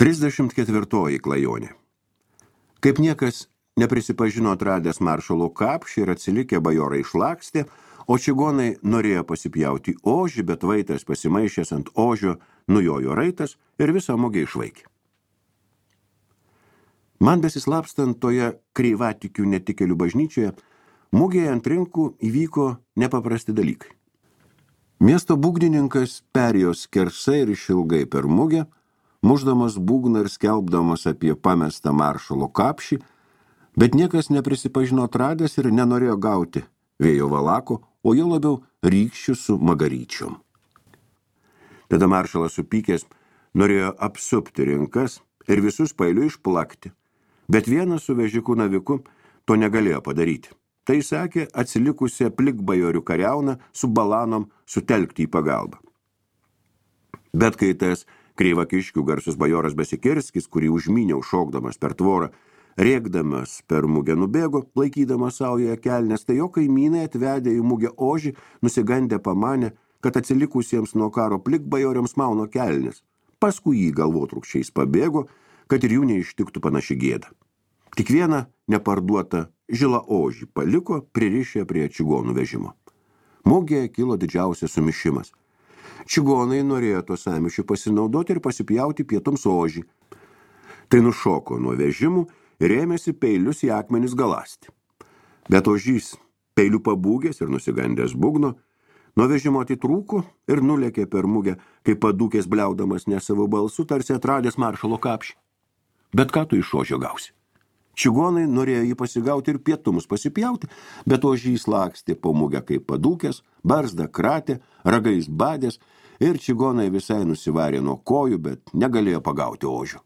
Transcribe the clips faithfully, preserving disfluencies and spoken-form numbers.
Trisdešimt ketvirtoji klajonė. Kaip niekas neprisipažino atradęs maršalo kapšį ir atsilikę bajorai išlakstė, o čigonai norėjo pasipjauti ožį, bet vaitas pasimaišęs ant ožio nujojo raitas ir visą mugę išvaikė. Man besislapstant toje kreivatikių netikėlių bažnyčioje, mugėje ant rinkų įvyko nepaprasti dalykai. Miesto būgnininkas perėjo skersai ir išilgai per mugę, muždamas būgną ir skelbdamas apie pamestą maršalo kapšį, bet niekas neprisipažino atradęs ir nenorėjo gauti vėjo valako, o jo labiau rykščių su magaryčiom. Tada maršalas supykęs norėjo apsupti rinkas ir visus pailiu išplakti, bet vienas su vežiku naviku to negalėjo padaryti. Tai sakė atsilikusią plikbajorių kariauną su balanom sutelkti į pagalbą. Bet kai tas kreivakiškių garsus bajoras Besikirskis, kurį užmyniau šokdamas per tvorą, rėkdamas per mugę nubėgo, laikydamas saujoje kelnes, tai jo kaimynai atvedę į mugę ožį, nusigandę pamanė, kad atsilikusiems nuo karo plikbajoriams mauno kelnes. Paskui jį galvotrūkščiais pabėgo, kad ir jų neištiktų panaši gėda. Tik vieną neparduotą žilą ožį paliko pririšę prie čigonų vežimo. Mugėje kilo didžiausias sumišimas. Čigonai norėjo to samišių pasinaudoti ir pasipjauti pietums ožį. Tai nušoko nuo vežimų ir ėmėsi peilius į akmenis galasti. Bet ožys, peilių pabūgęs ir nusigandęs būgno, nuo vežimo atitrūko ir nulėkė per mugę, kai padūkės bliaudamas ne savo balsu, tarsi atradęs maršalo kapšį. Bet ką tu iš ožio gausi? Čigonai norėjo jį pasigauti ir pietumus pasipjauti, bet ožys lakstė po mugę kaip padūkęs, barzdą kratė, ragais badės ir čigonai visai nusivarė nuo kojų, bet negalėjo pagauti ožio.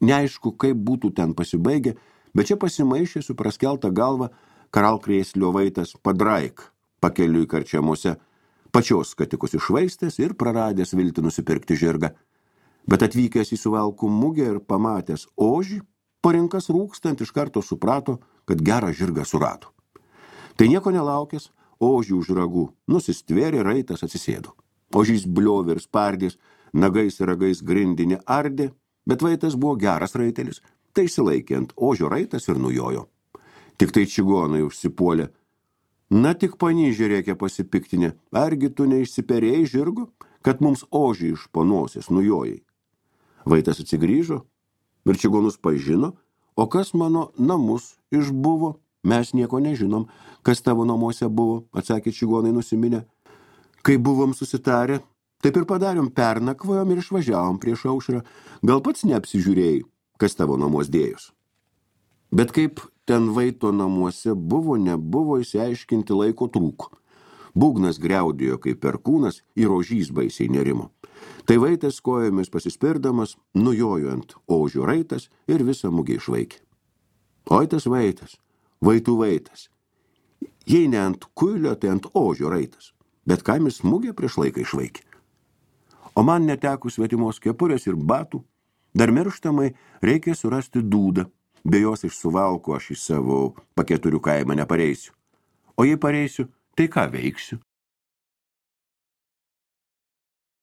Neaišku, kaip būtų ten pasibaigę, bet čia pasimaišė su praskelta galva karalkrėslio vaitas Padraik, pakeliui karčiamuose, pačios skatikus išvaistęs ir praradęs viltį nusipirkti žirgą. Bet atvykęs į Suvalkų mugę ir pamatęs ožį, po rinkas rūkstant iš karto suprato, kad gerą žirgą surado. Tai nieko nelaukęs, ožį už ragų nusistvėrė, raitas atsisėdo. Ožys bliovė ir spardės, nagais ir ragais grindinį ardė, bet vaitas buvo geras raitelis, tai išsilaikė ant ožio raitas ir nujojo. Tik tai čigonai užsipuolė. Na tik panyžė reikia pasipiktinę, argi tu neišsiperėjai žirgo, kad mums ožį iš ponosės nujojai. Vaitas atsigrįžo ir čigonus pažino, o kas mano namus išbuvo, mes nieko nežinom, kas tavo namuose buvo, atsakė čigonai nusiminę. Kai buvom susitarę, taip ir padarėm, pernakvojom ir išvažiavom prieš aušrą, gal pats neapsižiūrėjai, kas tavo namuos dėjus. Bet kaip ten vaito namuose buvo, nebuvo, išsiaiškinti laiko trūko. Būgnas griaudėjo kaip perkūnas ir ožys baisiai nerimo. Tai vaitas kojomis pasispirdamas, nujojo ant ožio raitas ir visą mugę išvaikė. Oi tas vaitas, vaitų vaitas. Jei ne ant kuilio, tai ant ožio raitas, bet kam jis mugę prieš laiką išvaikė. O man netekus svetimos kepurės ir batų, dar mirštamai reikia surasti dūdą, be jos iš Suvalkų aš į savo paketurių kaimą nepareisiu. O jei pareisiu, tai ką veiksiu?